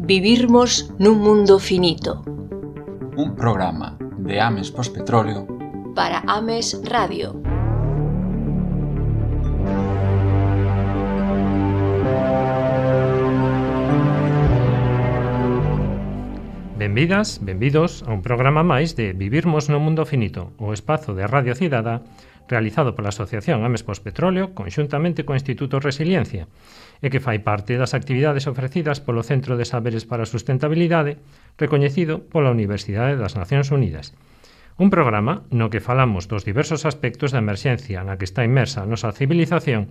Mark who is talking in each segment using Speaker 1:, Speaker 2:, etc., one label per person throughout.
Speaker 1: Vivirmos nun mundo finito.
Speaker 2: Un programa de Ames Pospetróleo
Speaker 1: para Ames Radio.
Speaker 3: Benvidas, benvidos a un programa máis de Vivirmos no mundo finito, o espazo de Radio Cidada realizado pola Asociación Ames Pospetróleo conxuntamente co Instituto Resiliencia e que fai parte das actividades ofrecidas polo Centro de Saberes para a Sustentabilidade recoñecido pola Universidade das Nacións Unidas. Un programa no que falamos dos diversos aspectos da emerxencia na que está inmersa a nosa civilización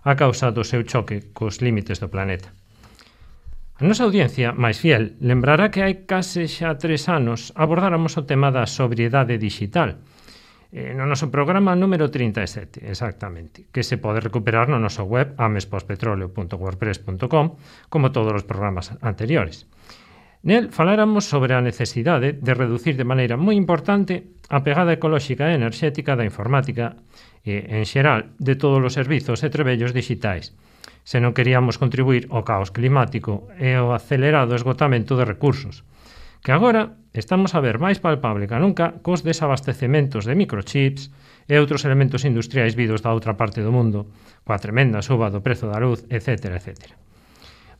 Speaker 3: a causa do seu choque cos límites do planeta. A nosa audiencia máis fiel lembrará que hai case xa 3 anos abordáramos o tema da sobriedade digital, no noso programa número 37, exactamente, que se pode recuperar no noso web amespospetroleo.wordpress.com, como todos os programas anteriores. Nel faláramos sobre a necesidade de reducir de maneira moi importante a pegada ecolóxica e enerxética da informática e, en xeral, de todos os servizos e trebellos digitais, se non queríamos contribuir ao caos climático e ao acelerado esgotamento de recursos, que agora estamos a ver máis palpable que nunca cos desabastecementos de microchips e outros elementos industriais vidos da outra parte do mundo, coa tremenda suba do prezo da luz, etc. etc.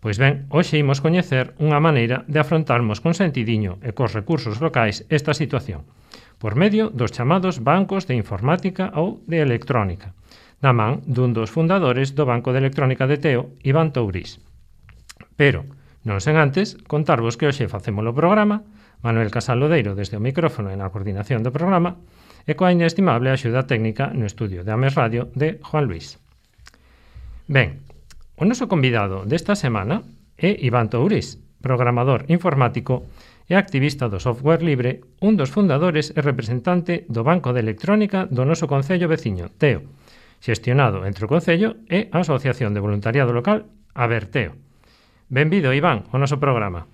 Speaker 3: Pois ben, hoxe imos coñecer unha maneira de afrontarmos con sentidiño e cos recursos locais esta situación, por medio dos chamados bancos de informática ou de electrónica, na man dun dos fundadores do Banco de Electrónica de Teo, Iván Tourís. Pero, non sen antes, contarvos que hoxe facemos o programa, Manuel Casal Lodeiro desde o micrófono e na coordinación do programa, e coa inestimable axuda técnica no estudio de Ames Radio de Juan Luis. Ben, o noso convidado desta semana é Iván Tourís, programador informático e activista do software libre, un dos fundadores e representante do Banco de Electrónica do noso concello veciño, Teo, xestionado entre o concello e a Asociación de Voluntariado Local, Aberteo. Benvido, Iván, ao noso programa.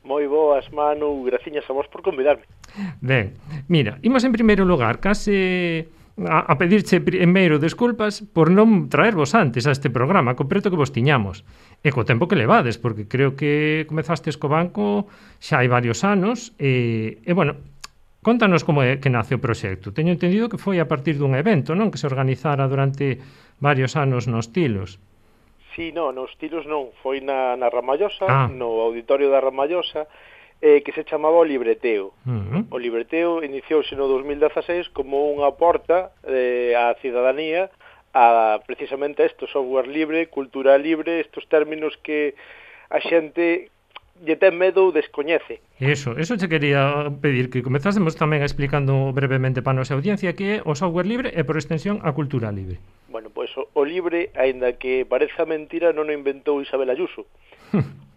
Speaker 4: Moi boas, Manu, graciñas a vos por convidarme.
Speaker 3: Ben, mira, imos en primeiro lugar case a pedirche primeiro desculpas por non traervos antes a este programa, co preto que vos tiñamos, e co tempo que levades, porque creo que comezastes co banco xa hai varios anos, e bueno, contanos como é que nace o proxecto. Teño entendido que foi a partir dun evento, non? Que se organizara durante varios anos nos Tilos.
Speaker 4: Sí, non, nos Tilos non, foi na Ramallosa, no auditorio da Ramallosa, que se chamaba o Libreteo. O Libreteo iniciouse no 2016 como unha porta á cidadanía a precisamente isto, software libre, cultura libre, estos términos que a xente lle ten medo ou descoñece.
Speaker 3: Eso che quería pedir, que comezásemos tamén explicando brevemente para a nosa audiencia que é o software libre e por extensión a cultura libre.
Speaker 4: Bueno, pois o libre, aínda que pareza mentira, non o inventou Isabel Ayuso.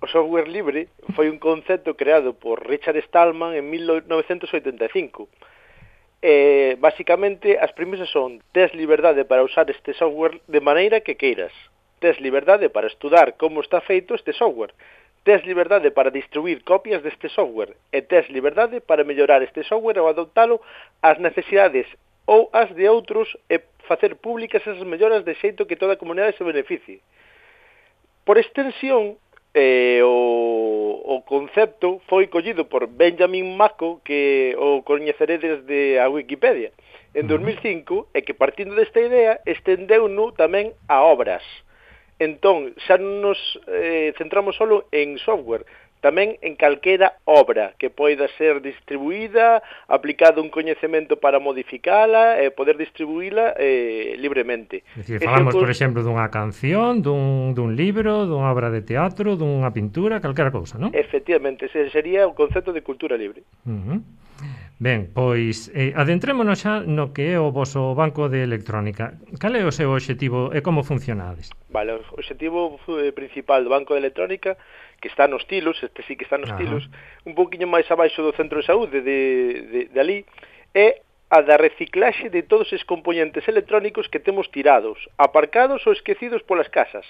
Speaker 4: O software libre foi un concepto creado por Richard Stallman en 1985. Básicamente, as premisas son: tes liberdade para usar este software de maneira que queiras. Tes liberdade para estudar como está feito este software. Tes liberdade para distribuir copias deste software e tes liberdade para mellorar este software ou adoptalo ás necesidades ou as de outros e facer públicas esas melloras de xeito que toda a comunidade se beneficie. Por extensión, o concepto foi collido por Benjamin Mako, que o coñeceredes de a Wikipedia, en 2005, e que partindo desta idea estendeu-no tamén a obras. Entón, xa non nos centramos solo en software, tamén en calquera obra que poida ser distribuída, aplicado un coñecemento para modificala e poder distribuíla libremente.
Speaker 3: É dicir, falamos, por exemplo, dunha canción, dun libro, dunha obra de teatro, dunha pintura, calquera cousa, non?
Speaker 4: Efectivamente, ese sería o concepto de cultura libre.
Speaker 3: Ben, pois adentrémonos xa no que é o voso banco de electrónica. Cal é o seu obxectivo e como funcionades?
Speaker 4: Vale, o obxectivo principal do banco de electrónica, que está nos Tilos, este sí que está nos Tilos, un pouquiño máis abaixo do centro de saúde de ali, é a da reciclaxe de todos os componentes electrónicos que temos tirados, aparcados ou esquecidos polas casas,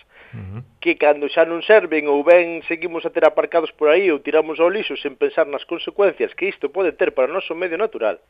Speaker 4: que cando xa non serven ou ben seguimos a ter aparcados por aí ou tiramos ao lixo sen pensar nas consecuencias que isto pode ter para o noso medio natural.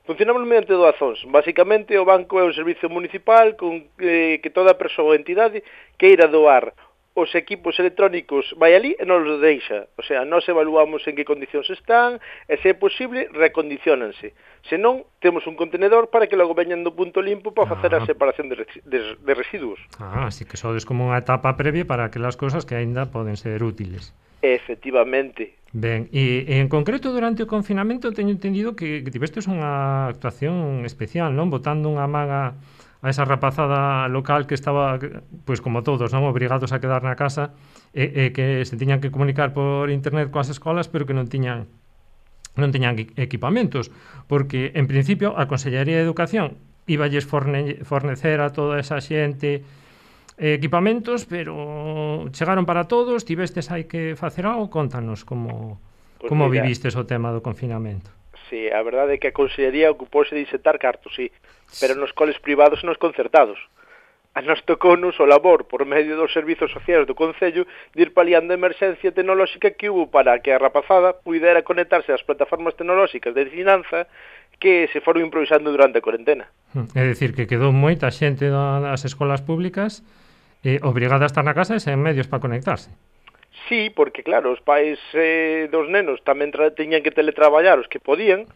Speaker 4: Funcionamos mediante doazóns. Basicamente, o banco é un servizo municipal con que toda persoa ou entidade queira doar os equipos electrónicos vai ali e non os deixa. O sea, nós evaluamos en que condicións están e, se é posible, recondiciónanse. Se non, temos un contenedor para que logo veñan do punto limpo para facer a separación de residuos.
Speaker 3: Así que sodes como unha etapa previa para aquelas cousas que aínda poden ser útiles.
Speaker 4: Efectivamente.
Speaker 3: Ben, e en concreto durante o confinamento teño entendido que tivestes unha actuación especial, non? Botando unha maga a esa rapazada local que estaba, pois como todos, non, obrigados a quedar na casa e que se tiñan que comunicar por internet coas escolas, pero que non tiñan equipamentos, porque en principio a Consellería de Educación íballes fornecer a toda esa xente equipamentos, pero chegaron para todos, tivestes hai que facer algo, contanos como vivistes o tema do confinamento.
Speaker 4: Sí, a verdade é que a Consellería ocupouse de insetar cartos, sí, pero nos coles privados e nos concertados. A nos tocounos o labor, por medio dos servizos sociais do Concello, de ir paliando a emerxencia tecnolóxica que hubo para que a rapazada pudera conectarse ás plataformas tecnolóxicas de ensinanza que se foron improvisando durante a cuarentena.
Speaker 3: É dicir, que quedou moita xente das escolas públicas obrigada a estar na casa e sen medios para conectarse.
Speaker 4: Sí, porque claro, os pais dos nenos tamén tiñan que teletraballar os que podían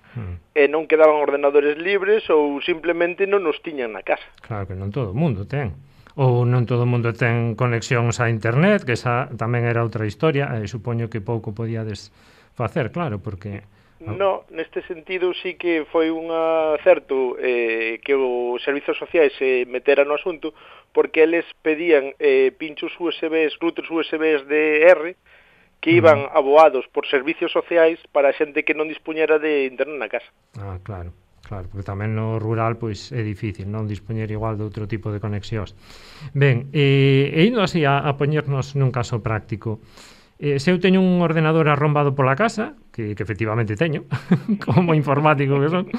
Speaker 4: e non quedaban ordenadores libres ou simplemente non os tiñan na casa.
Speaker 3: Claro que non todo o mundo ten. Ou non todo o mundo ten conexións a internet, que esa tamén era outra historia, e supoño que pouco podíades facer, claro, porque...
Speaker 4: No, neste sentido sí que foi un acerto que os servizos sociais se meteran no asunto, porque eles pedían pinchos USBs, routers USBs de R, que iban aboados por servicios sociais para a xente que non dispuñera de internet na casa.
Speaker 3: Claro, porque tamén no rural pois é difícil non dispoñer igual de outro tipo de conexións. Ben, e indo así a poñernos nun caso práctico, se eu teño un ordenador arrombado pola casa, que efectivamente teño, como informático que son,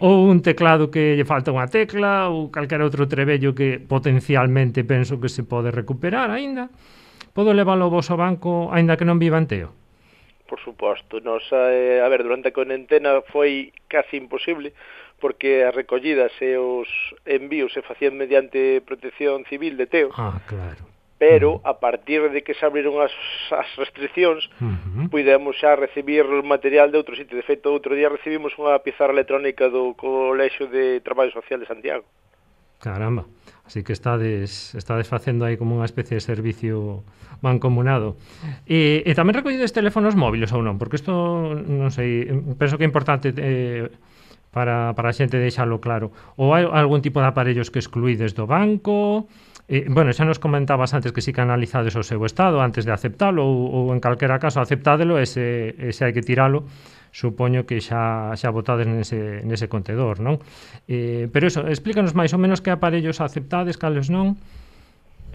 Speaker 3: ou un teclado que lle falta unha tecla, ou calquera outro trebello que potencialmente penso que se pode recuperar aínda, podo leválo ao voso banco aínda que non viva en Teo?
Speaker 4: Por suposto, a ver, durante a cuarentena foi casi imposible, porque as recollidas e os envíos se facían mediante Protección Civil de Teo.
Speaker 3: Claro.
Speaker 4: Pero a partir de que se abriron as restriccións, pudemos xa recibir material de outro sitio. De feito, outro día recibimos unha pizarra electrónica do Colexio de Traballo Social de Santiago.
Speaker 3: Caramba, así que estades facendo aí como unha especie de servicio mancomunado. E tamén recollides teléfonos móviles ou non? Porque isto, non sei, penso que é importante para a xente deixalo claro. Ou hai algún tipo de aparellos que excluídes do banco? Bueno, xa nos comentabas antes que si que analizades o seu estado antes de aceptalo ou en calquera caso aceptádelo e se hai que tiralo, supoño que xa botades nese contedor, non? Pero eso, explícanos máis ou menos que aparellos aceptades, cales non?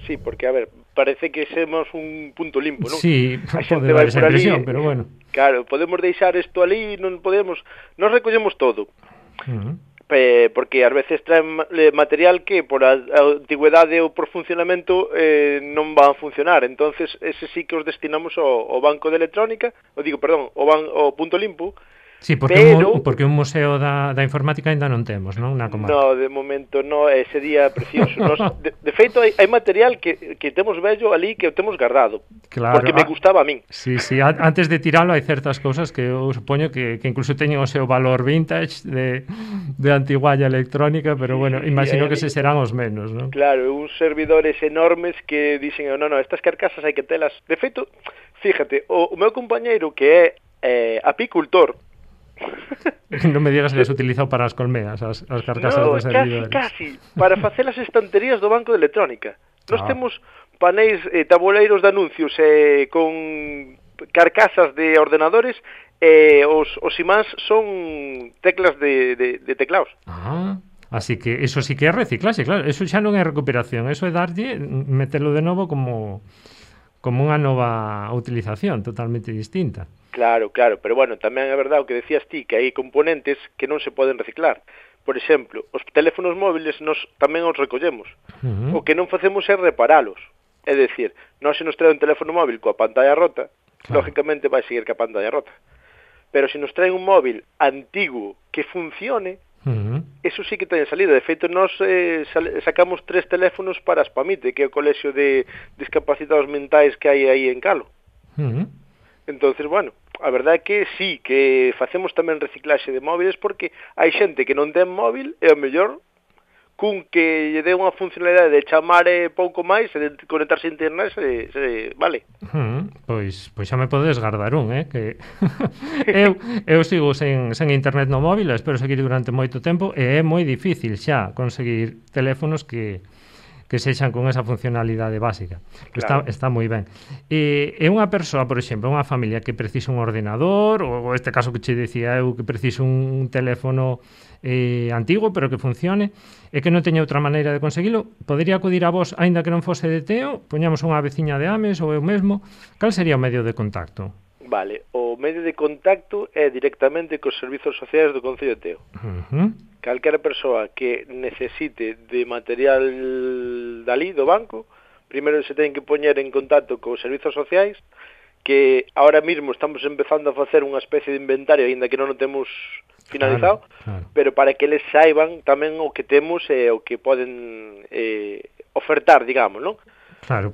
Speaker 4: Sí, porque, a ver, parece que semos un punto limpo, non?
Speaker 3: Sí, pode dar esa impresión, pero bueno.
Speaker 4: Claro, podemos deixar isto ali, non podemos... Nos recollemos todo. Porque ás veces traen material que por a antigüedade ou por funcionamento non van a funcionar. Entonces, ese sí que os destinamos ao banco de electrónica, ao punto limpo.
Speaker 3: Sí, porque un museo da informática ainda non temos, non? Na comarca.
Speaker 4: No, de momento no, sería precioso. De feito, hai material que temos vello ali que o temos guardado.
Speaker 3: Claro,
Speaker 4: porque me gustaba a min.
Speaker 3: Sí, antes de tiralo hai certas cousas que eu supoño que incluso teñen o seu valor vintage de antigualla electrónica, pero bueno, imagino que se serán os menos, non?
Speaker 4: Claro, uns servidores enormes que dicen, no, estas carcasas hai que telas. De feito, fíjate, o meu compañeiro que é apicultor,
Speaker 3: non me digas que as utilizado para as colmeas, as carcasas dos servidores.
Speaker 4: Casi, para facer as estanterías do banco de electrónica. Nós temos panéis, tabuleiros de anuncios con carcasas de ordenadores e os imáns son teclas de teclados.
Speaker 3: Así que eso sí que é reciclaxe, claro, eso xa non é recuperación, eso é darlle, metelo de novo como unha nova utilización totalmente distinta.
Speaker 4: Claro, pero bueno, tamén é verdade o que decías ti, que hai componentes que non se poden reciclar. Por exemplo, os teléfonos móviles nos tamén os recollemos. O que non facemos é reparalos. É dicir, nós se nos trae un teléfono móvil coa pantalla rota, lógicamente vai seguir coa pantalla rota. Pero se nos trae un móvil antigo que funcione, Eso sí que ten salida. De feito, nós sacamos 3 teléfonos para a Spamite, que é o colexio de discapacitados mentais que hai aí en Calo. Entonces, bueno, a verdade é que sí, que facemos tamén reciclaxe de móviles, porque hai xente que non ten móvil e ao mellor cun que lle dé unha funcionalidade de chamar pouco máis e de conectarse a internet vale.
Speaker 3: Pois xa me podes gardar que eu sigo sen internet no móvil, espero seguir durante moito tempo e é moi difícil xa conseguir teléfonos que sexan con esa funcionalidade básica. Claro. Está moi ben. É unha persoa, por exemplo, unha familia que precisa un ordenador, ou este caso que che dicía eu, que precisa un teléfono antigo, pero que funcione, e que non teña outra maneira de conseguilo, podería acudir a vos, aínda que non fose de Teo, poñamos unha veciña de Ames ou eu mesmo, cal sería o medio de contacto?
Speaker 4: Vale, o medio de contacto é directamente cos servizos sociais do Concello de Teo. Calquera persoa que necesite de material dali, do banco, primeiro se ten que poñer en contacto cos servizos sociais, que ahora mismo estamos empezando a facer unha especie de inventario, aínda que non o temos finalizado, claro. Pero para que eles saiban tamén o que temos e o que poden ofertar, digamos, non?
Speaker 3: Claro,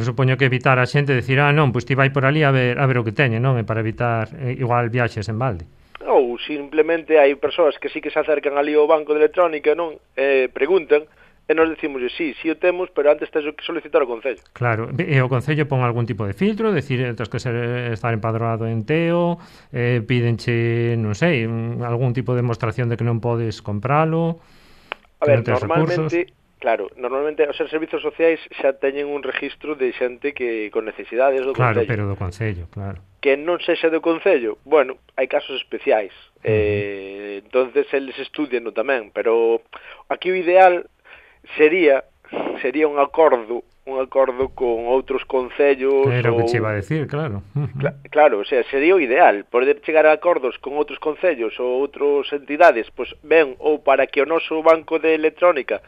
Speaker 3: supoño que evitar a xente decir, non, pois ti vai por ali a ver o que teñe, non? E para evitar igual viaxes en balde.
Speaker 4: Ou simplemente hai persoas que sí que se acercan ali ao banco de electrónica, non? Preguntan, e nos decimos, sí o temos, pero antes tens que solicitar ao Concello.
Speaker 3: Claro, e o Concello pon algún tipo de filtro, decir, tens que estar empadroado en Teo, pídenche, non sei, algún tipo de demostración de que non podes compralo.
Speaker 4: A ver, normalmente, claro, normalmente os servizos sociais xa teñen un registro de xente que con necesidades do Concello.
Speaker 3: Claro, pero do Concello, claro.
Speaker 4: Que non sexa do Concello, bueno, hai casos especiais. Entonces eles estudian tamén, pero aquí o ideal sería un acordo con outros concellos.
Speaker 3: Era o que che iba a decir, claro.
Speaker 4: Claro, o sea, sería o ideal poder chegar a acordos con outros concellos ou outras entidades, pois ben, ou para que o noso banco de electrónica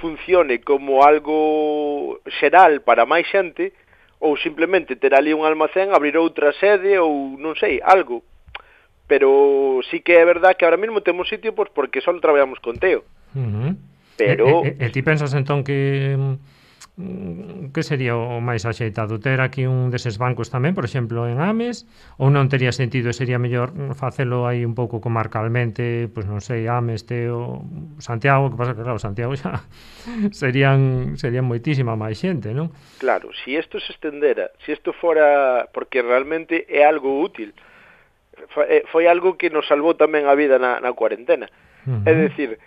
Speaker 4: funcione como algo xeral para máis xente, ou simplemente ter ali un almacén, abrir outra sede ou non sei, algo. Pero sí que é verdad que ahora mesmo temos sitio pois porque só traballamos con Teo. Pero
Speaker 3: ti pensas entón que sería o máis axeitado ter aquí un deses bancos tamén, por exemplo, en Ames, ou non tería sentido, sería mellor facelo aí un pouco comarcalmente, pois non sei, Ames, Teo, Santiago, que pasa que claro, Santiago xa serían moitísima máis xente, non?
Speaker 4: Claro, se isto se estendera, se isto fora, porque realmente é algo útil, foi algo que nos salvou tamén a vida na cuarentena. É dicir,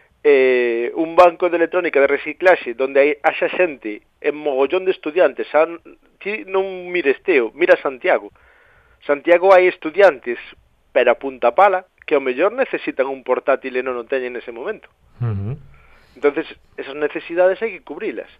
Speaker 4: un banco de electrónica de reciclaxe donde haxa xente en mogollón de estudiantes, ti non mires Teo, mira Santiago. Santiago hai estudiantes, pero a punta pala, que ao mellor necesitan un portátil e non o teñen nese momento. Entonces, esas necesidades hai que cubrilas.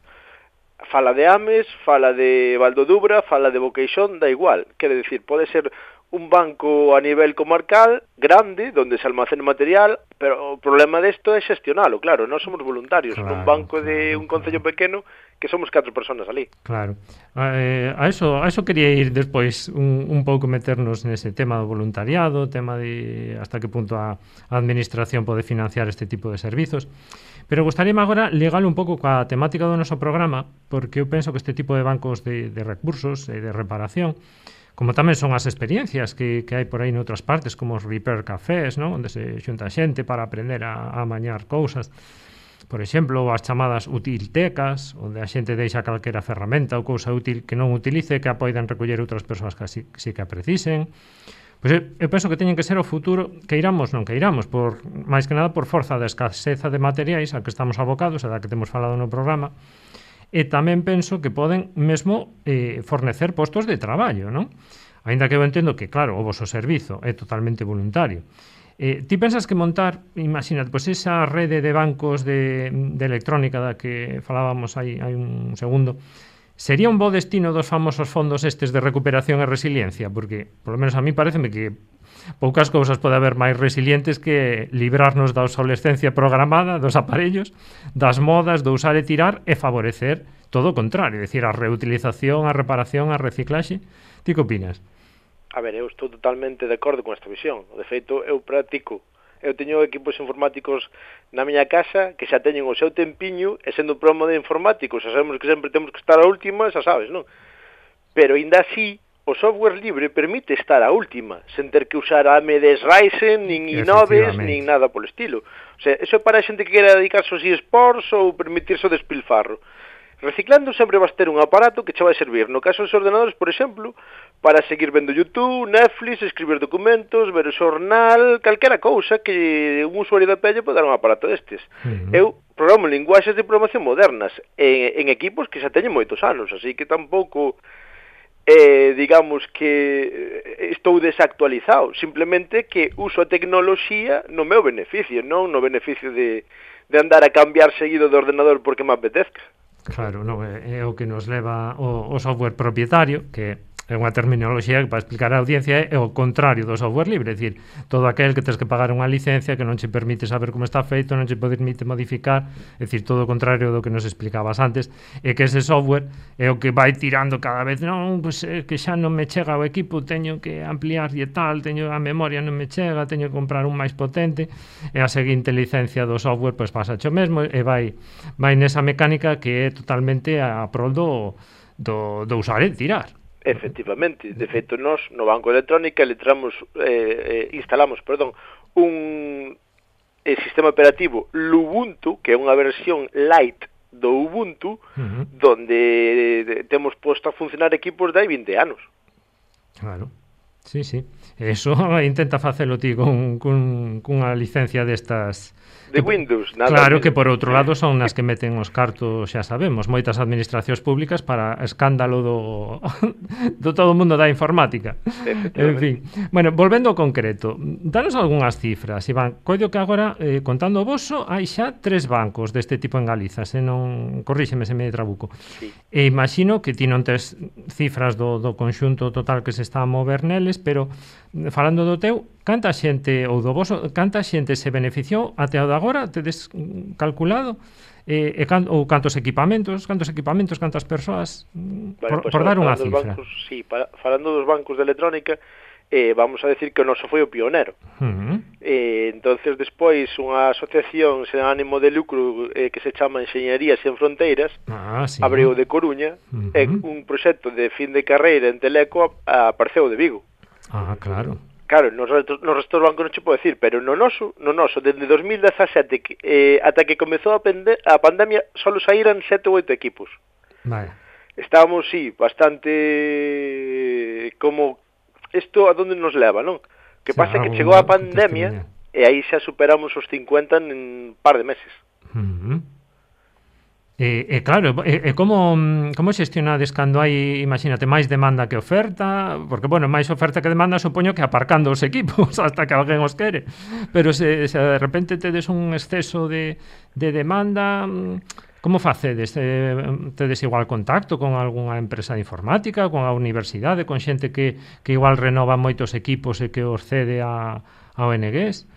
Speaker 4: Fala de Ames, fala de Valdodubra, fala de Boqueixón, da igual. Quere decir, pode ser un banco a nivel comarcal grande, donde se almacene material, pero o problema desto é xestionalo, claro, non somos voluntarios, claro, nun banco de un concello pequeno que somos 4 personas ali.
Speaker 3: Claro, a eso quería ir despois un pouco meternos nese tema do voluntariado, tema de hasta que punto a administración pode financiar este tipo de servizos, pero gustaríame agora ligalo un pouco coa temática do noso programa, porque eu penso que este tipo de bancos de recursos e de reparación, como tamén son as experiencias que hai por aí noutras partes, como os repair cafés, ¿no? Onde se xunta xente para aprender a amañar cousas. Por exemplo, as chamadas utiltecas, onde a xente deixa calquera ferramenta ou cousa útil que non utilice, que a poidan recoller outras persoas que sí que a precisen. Pois eu penso que teñen que ser o futuro, que iramos, por máis que nada por forza da escaseza de materiais a que estamos abocados, a da que temos falado no programa. E tamén penso que poden mesmo fornecer postos de traballo, non? Ainda que eu entendo que, claro, o voso servizo é totalmente voluntario. Ti pensas que montar, imagínate, pois esa rede de bancos de electrónica da que falábamos hai un segundo, sería un bo destino dos famosos fondos estes de recuperación e resiliencia? Porque, polo menos a mí pareceme que poucas cousas pode haber máis resilientes que librarnos da obsolescencia programada dos aparellos, das modas, do usar e tirar, e favorecer todo o contrario, é dicir, a reutilización, a reparación, a reciclaxe. Ti que opinas?
Speaker 4: A ver, eu estou totalmente de acordo con esta visión. De feito, eu practico eu teño equipos informáticos na miña casa que xa teñen o seu tempiño, e sendo programa de informáticos, xa sabemos que sempre temos que estar a última, xa sabes, non? Pero ainda así, o software libre permite estar a última, sen ter que usar AMD Ryzen, nin i9, nin nada polo estilo. O sea, eso é para a xente que quera dedicarse aos eSports ou permitirse o despilfarro. Reciclando sempre vas ter un aparato que che vai servir, no caso dos ordenadores, por exemplo, para seguir vendo YouTube, Netflix, escribir documentos, ver o xornal, calquera cousa que un usuario da pelle pode dar un aparato destes. Eu programo linguaxes de programación modernas en equipos que xa teñen moitos anos, así que tampouco digamos que estou desactualizado, simplemente que uso a tecnoloxía no meu beneficio, non no beneficio de andar a cambiar seguido de ordenador porque me apetezca.
Speaker 3: Claro, non, é o que nos leva o software propietario, que é unha terminoloxía que para explicar á audiencia é o contrario do software libre, é dicir, todo aquel que tens que pagar unha licencia que non che permite saber como está feito, non che permite modificar, é dicir, todo o contrario do que nos explicabas antes, e que ese software é o que vai tirando cada vez, non, pois é que xa non me chega o equipo, teño que ampliar e tal, teño a memoria non me chega, teño que comprar un máis potente, e a seguinte licencia do software pois pasa o mesmo, e vai nesa mecánica que é totalmente a prol do usar e tirar.
Speaker 4: Efectivamente, de feito nós no Banco de Electrónica instalamos un sistema operativo Lubuntu, que é unha versión light do Ubuntu, donde temos posto a funcionar equipos de hai 20 anos.
Speaker 3: Claro, sí. Eso intenta facelo ti cunha licencia destas
Speaker 4: de Windows, nada.
Speaker 3: Claro que por outro lado son nas que meten os cartos, xa sabemos, moitas administracións públicas para escándalo do todo o mundo da informática. En fin, bueno, volvendo ao concreto, danos algunhas cifras, Iván. Coido que agora, contando o voso, hai xa 3 bancos deste tipo en Galiza, se non, corríxeme se me trabuco.
Speaker 4: Sí.
Speaker 3: E imagino que ti non tes cifras do conxunto total que se está a mover neles, pero falando do teu, canta xente ou do voso, canta xente se beneficiou até o de agora, tedes calculado? Ou cantos equipamentos, cantas persoas,
Speaker 4: vale,
Speaker 3: por dar unha cifra.
Speaker 4: Bancos, sí, falando dos bancos de electrónica, vamos a decir que o noso foi o pionero. Entonces despois unha asociación sen ánimo de lucro que se chama Enxeñería Sen Fronteiras,
Speaker 3: sí.
Speaker 4: abriu de Coruña, e un proxecto de fin de carreira en Teleco apareceu de Vigo.
Speaker 3: Claro.
Speaker 4: Claro, nos restos dos bancos non che podo decir, pero no noso, desde 2017 ata que comezou a pandemia, só saíran 7 ou 8 equipos.
Speaker 3: Vale.
Speaker 4: Estábamos, sí, bastante como isto a donde nos leva, non? Que pasa que chegou a pandemia e aí xa superamos os 50 en un par de meses.
Speaker 3: Claro, como xestionades cando hai, imagínate, máis demanda que oferta? Porque, bueno, máis oferta que demanda supoño que aparcando os equipos hasta que alguén os quere. Pero se de repente tedes un exceso de demanda, como facedes? Tedes igual contacto con algunha empresa de informática, con a universidade, con xente que igual renova moitos equipos e que os cede a ONGs?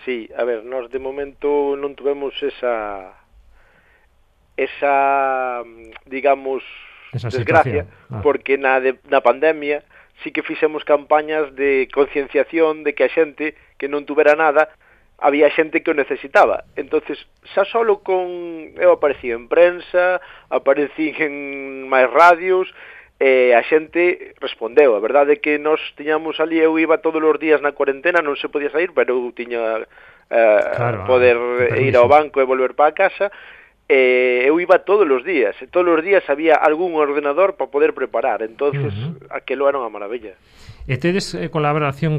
Speaker 4: Sí, a ver, nós de momento non tuvemos esa digamos, desgracia, porque na pandemia sí que fixemos campañas de concienciación de que a xente que non tuvera nada, había xente que o necesitaba. Entonces, xa solo eu aparecí en prensa, aparecí en máis radios, a xente respondeu. A verdade é que nós tiñamos ali, eu iba todos os días na cuarentena, non se podía sair, pero eu tiña poder ir ao banco e volver para a casa. Eu iba todos os días había algún ordenador para poder preparar, entonces aquelo era unha maravilla.
Speaker 3: E tedes colaboración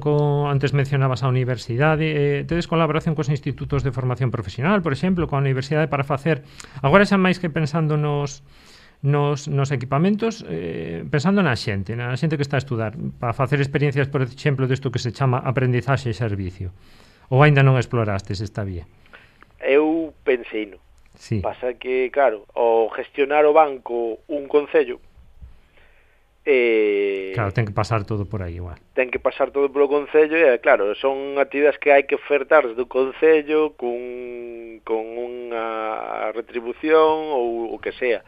Speaker 3: antes mencionabas a universidade, tedes colaboración cos institutos de formación profesional, por exemplo, coa universidade para facer, agora xa máis que pensando nos equipamentos, pensando na xente que está a estudar, para facer experiencias, por exemplo, desto que se chama aprendizaxe e servicio, ou aínda non explorastes esta vía?
Speaker 4: Eu pensei no.
Speaker 3: Sí.
Speaker 4: Pasa que, claro, ao gestionar o banco un concello,
Speaker 3: claro, ten que pasar todo por aí igual.
Speaker 4: Ten que pasar todo polo concello e, claro, son actividades que hai que ofertar desde o concello con unha retribución ou o que sea.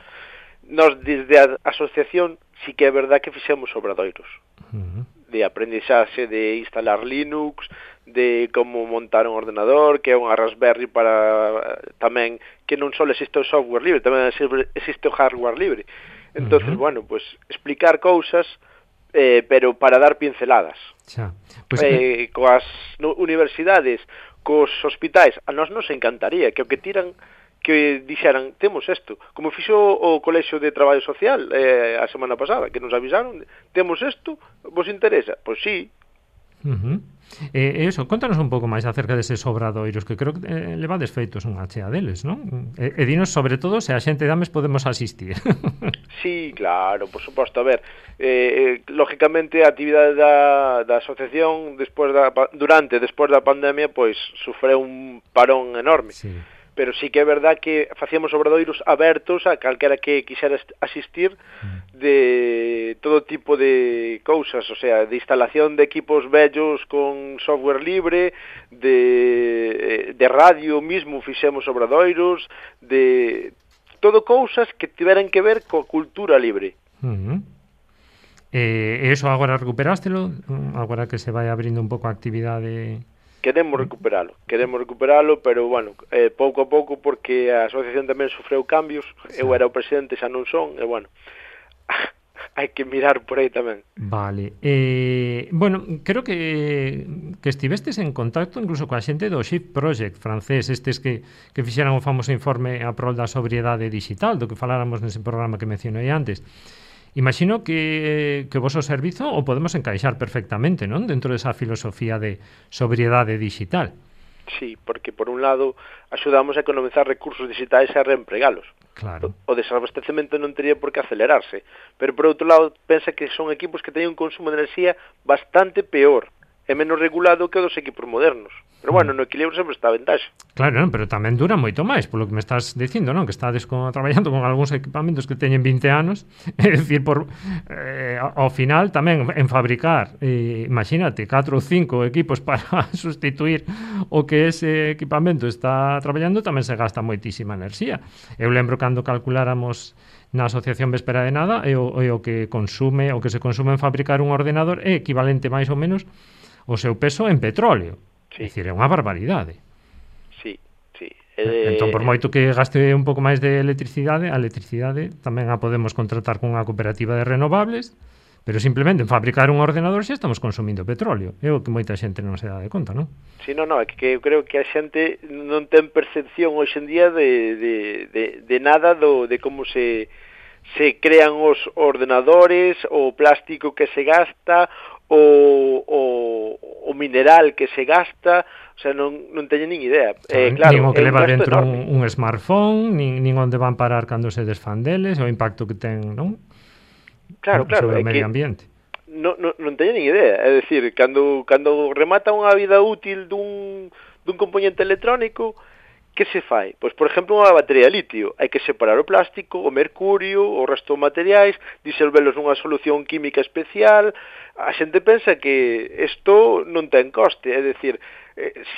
Speaker 4: Nos, desde a asociación, sí que é verdad que fixemos obradoiros de aprendizaxe, de instalar Linux, de como montar un ordenador, que é unha Raspberry para tamén, que non só existe o software libre, tamén existe o hardware libre. Entonces, bueno, pues explicar cousas, pero para dar pinceladas.
Speaker 3: Xa. Pues,
Speaker 4: coas universidades, cos hospitais, a nós nos encantaría que o que tiran, que dixeran, temos isto, como fixo o Colexio de Traballo Social a semana pasada, que nos avisaron, temos isto, vos interesa? Pois sí.
Speaker 3: Eso, contanos un pouco máis acerca deses obradoiros, que creo que levades feitos unha chea deles, non? E dinos sobre todo se a xente de Ames podemos asistir.
Speaker 4: Sí, claro, por suposto. A ver, lógicamente a actividade da asociación despois da pandemia, pois sufreu un parón enorme.
Speaker 3: Sí.
Speaker 4: Pero sí que é verdad que facíamos obradoiros abertos a calquera que quixera asistir de todo tipo de cousas, o sea, de instalación de equipos vellos con software libre, de radio mismo fixemos obradoiros, de todo cousas que tiveran que ver coa cultura libre.
Speaker 3: E iso agora recuperástelo? Agora que se vai abrindo un pouco a actividade...
Speaker 4: Queremos recuperalo, pero, bueno, pouco a pouco, porque a asociación tamén sofreu cambios, eu era o presidente, xa non son, e, bueno, hai que mirar por aí tamén.
Speaker 3: Vale. Bueno, creo que estivestes en contacto incluso coa xente do Shift Project francés, estes que fixeran o famoso informe a prol da sobriedade digital, do que faláramos nese programa que mencionei antes. Imagino que o voso servizo o podemos encaixar perfectamente, non? Dentro desa filosofía de sobriedade digital.
Speaker 4: Sí, porque por un lado axudamos a economizar recursos digitais e a reempregalos.
Speaker 3: Claro.
Speaker 4: O desabastecemento non teria por que acelerarse, pero por outro lado pensa que son equipos que teñen un consumo de enerxía bastante peor e menos regulado que o dos equipos modernos. Pero, bueno, no equilibrio sempre está a ventaxa.
Speaker 3: Claro, non, pero tamén dura moito máis, polo que me estás dicindo, non? Que estades traballando con algúns equipamentos que teñen 20 anos, é dicir, ao final tamén en fabricar, imagínate, 4 ou 5 equipos para sustituir o que ese equipamento está traballando, tamén se gasta moitísima enerxía. Eu lembro cando calculáramos na Asociación Véspera de Nada, o que se consume en fabricar un ordenador é equivalente máis ou menos o seu peso en petróleo. Sí. É dicir, é unha barbaridade.
Speaker 4: Sí, sí.
Speaker 3: Entón, por moito que gaste un pouco máis de electricidade, a electricidade tamén a podemos contratar con unha cooperativa de renovables, pero simplemente en fabricar un ordenador xa estamos consumindo petróleo. É o que moita xente non se dá de conta, non?
Speaker 4: Sí, non, é que eu creo que a xente non ten percepción hoxe en día de nada de como se crean os ordenadores, o plástico que se gasta, o mineral que se gasta, o sea, non teñen nin idea. Claro,
Speaker 3: nin o que leva dentro un smartphone, nin onde van parar cando se desfan deles, o impacto que ten, non?
Speaker 4: Claro,
Speaker 3: sobre o medio ambiente.
Speaker 4: Non teñen nin idea, é dicir, cando remata unha vida útil dun componente electrónico, que se fai? Pois, por exemplo, unha batería de litio. Hai que separar o plástico, o mercurio, o resto de materiais, disolvelos nunha solución química especial. A xente pensa que isto non ten coste, é dicir,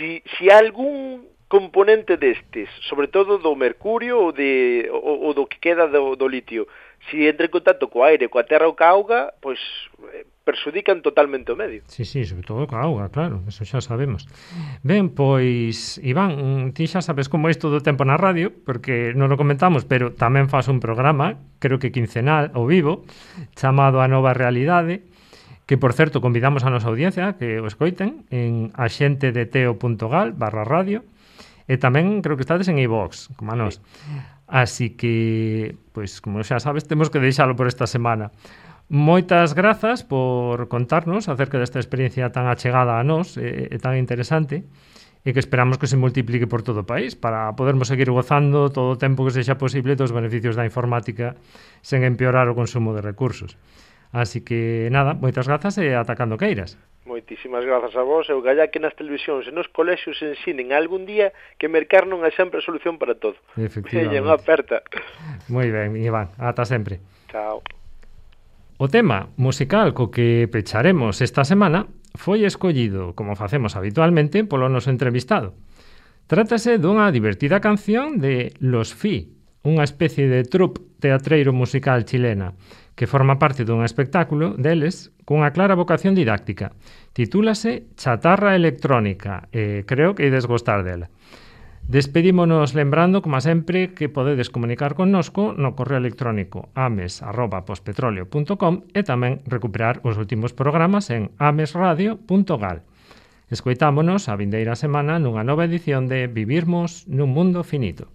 Speaker 4: si algún componente destes, sobre todo do mercurio ou do que queda do litio, si entra en contacto co aire, coa terra ou coa auga, pois perxudican totalmente o medio.
Speaker 3: Sí, sobre todo coa auga, claro, eso xa sabemos. Ben, pois, Iván, ti xa sabes como é isto do tempo na radio, porque non o comentamos, pero tamén faz un programa, creo que quincenal, ao vivo, chamado A Nova Realidade, que, por certo, convidamos a nosa audiencia que o escoiten en axentedeteo.gal/radio, e tamén creo que estades en iVox, como a nós. Así que, pois, como xa sabes, temos que deixalo por esta semana. Moitas grazas por contarnos acerca desta experiencia tan achegada a nós e tan interesante, e que esperamos que se multiplique por todo o país para podermos seguir gozando todo o tempo que sexa posible dos beneficios da informática sen empeorar o consumo de recursos. Así que, nada, moitas grazas e ata cando queiras.
Speaker 4: Moitísimas grazas a vos. Eu galla que nas televisións e nos colexios ensinen algún día que mercar non é sempre a solución para todo.
Speaker 3: Efectivamente.
Speaker 4: Unha aperta.
Speaker 3: Moi ben, Iván, ata sempre.
Speaker 4: Chao.
Speaker 3: O tema musical co que pecharemos esta semana foi escollido, como facemos habitualmente, polo noso entrevistado. Trátase dunha divertida canción de Los Fi, unha especie de troupe teatreiro musical chilena que forma parte dun espectáculo deles cunha clara vocación didáctica. Titúlase Chatarra Electrónica e creo que ides gostar dela. Despedímonos lembrando, como sempre, que podedes comunicar connosco no correo electrónico ames@pospetroleo.com e tamén recuperar os últimos programas en amesradio.gal. Escoitámonos a vindeira semana nunha nova edición de Vivirmos nun Mundo Finito.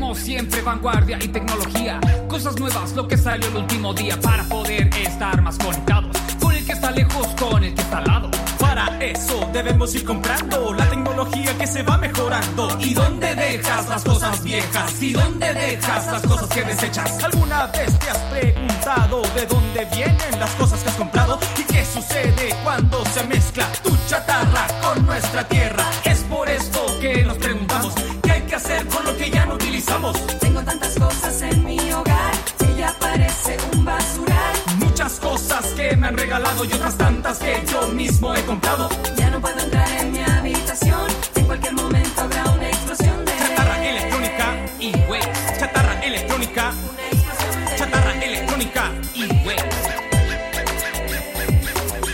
Speaker 5: Siempre vanguardia y tecnología, cosas nuevas, lo que salió el último día para poder estar más conectados con el que está lejos, con el que está al lado.
Speaker 6: Para eso debemos ir comprando la tecnología que se va mejorando.
Speaker 5: ¿Y dónde dejas las cosas viejas? ¿Y dónde dejas las cosas que desechas?
Speaker 6: ¿Alguna vez te has preguntado de dónde vienen las cosas que has comprado? ¿Y qué sucede cuando se mezcla tu chatarra con nuestra tierra?
Speaker 5: Es por esto que nos preguntamos qué hay que hacer con lo que ya no utilizamos.
Speaker 7: Tengo tantas cosas en mi hogar que ya parece un basural.
Speaker 5: Muchas cosas que me han regalado y otras tantas que yo mismo he comprado.
Speaker 7: Ya no puedo entrar en mi habitación, en cualquier momento habrá una explosión de
Speaker 5: chatarra electrónica y waste. Chatarra electrónica,
Speaker 7: una explosión de
Speaker 5: chatarra electrónica y waste.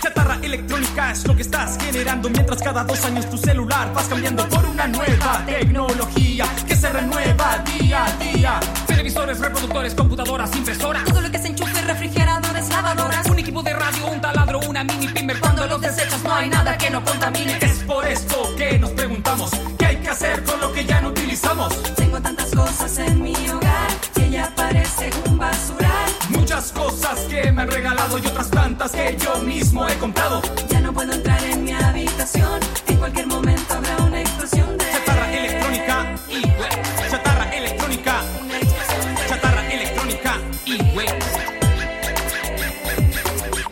Speaker 6: Chatarra electrónica es lo que estás generando mientras cada 2 años tu celular vas cambiando por una nueva tecnología que se renueva día a día.
Speaker 5: Televisores, reproductores, computadoras, impresoras,
Speaker 7: todo lo que se enchufe, refrigeradores, lavadoras,
Speaker 5: un equipo de radio, un taladro, una mini primer.
Speaker 7: Cuando los desechas no hay nada que no contamine.
Speaker 5: Es por esto que nos preguntamos qué hay que hacer con lo que ya no utilizamos.
Speaker 7: Tengo tantas cosas en mi hogar que ya parece un basural.
Speaker 5: Muchas cosas que me han regalado y otras tantas que yo mismo he comprado.
Speaker 7: Ya no puedo entrar en mi habitación, en cualquier momento habrá una explosión de
Speaker 5: chatarra electrónica y waste. Chatarra electrónica,
Speaker 7: una explosión de
Speaker 5: chatarra electrónica y waste.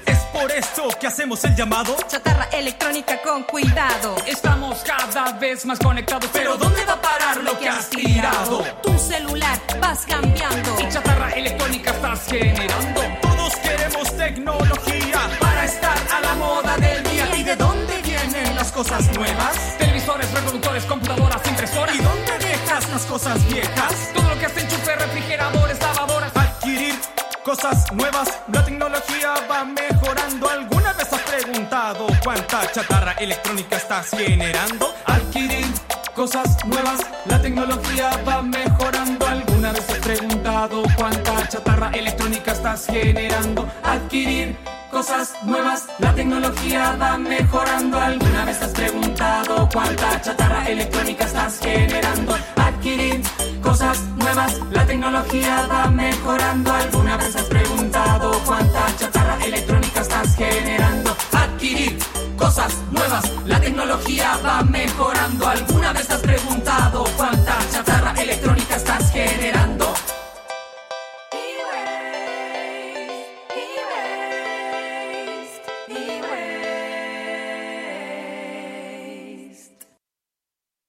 Speaker 6: Es por esto que hacemos el llamado.
Speaker 7: chatarra electrónica con cuidado.
Speaker 5: Estamos cada vez más conectados, pero ¿dónde va a parar lo que has tirado?
Speaker 7: Tu celular vas cambiando
Speaker 5: Y chatarra electrónica estás generando.
Speaker 6: Todos queremos tecnología para estar a la moda del día. ¿Y de dónde vienen las cosas nuevas?
Speaker 5: Televisores, reproductores, computadoras, impresoras.
Speaker 6: ¿Y dónde dejas las cosas viejas?
Speaker 5: Todo lo que hace enchufe, refrigeradores, lavadoras.
Speaker 6: Adquirir cosas nuevas, la tecnología va mejorando. ¿Alguna vez has preguntado cuánta chatarra electrónica estás generando?
Speaker 5: Adquirir cosas nuevas, la tecnología va mejorando. ¿Alguna vez has preguntado cuánta chatarra electrónica estás generando? Adquirir cosas nuevas, la tecnología va mejorando. ¿Alguna vez has preguntado cuánta chatarra electrónica estás generando? Adquirir cosas nuevas, la tecnología va mejorando. ¿Alguna vez has preguntado cuánta chatarra electrónica estás generando? Adquirir cosas nuevas, la tecnología va mejorando. ¿Alguna vez has preguntado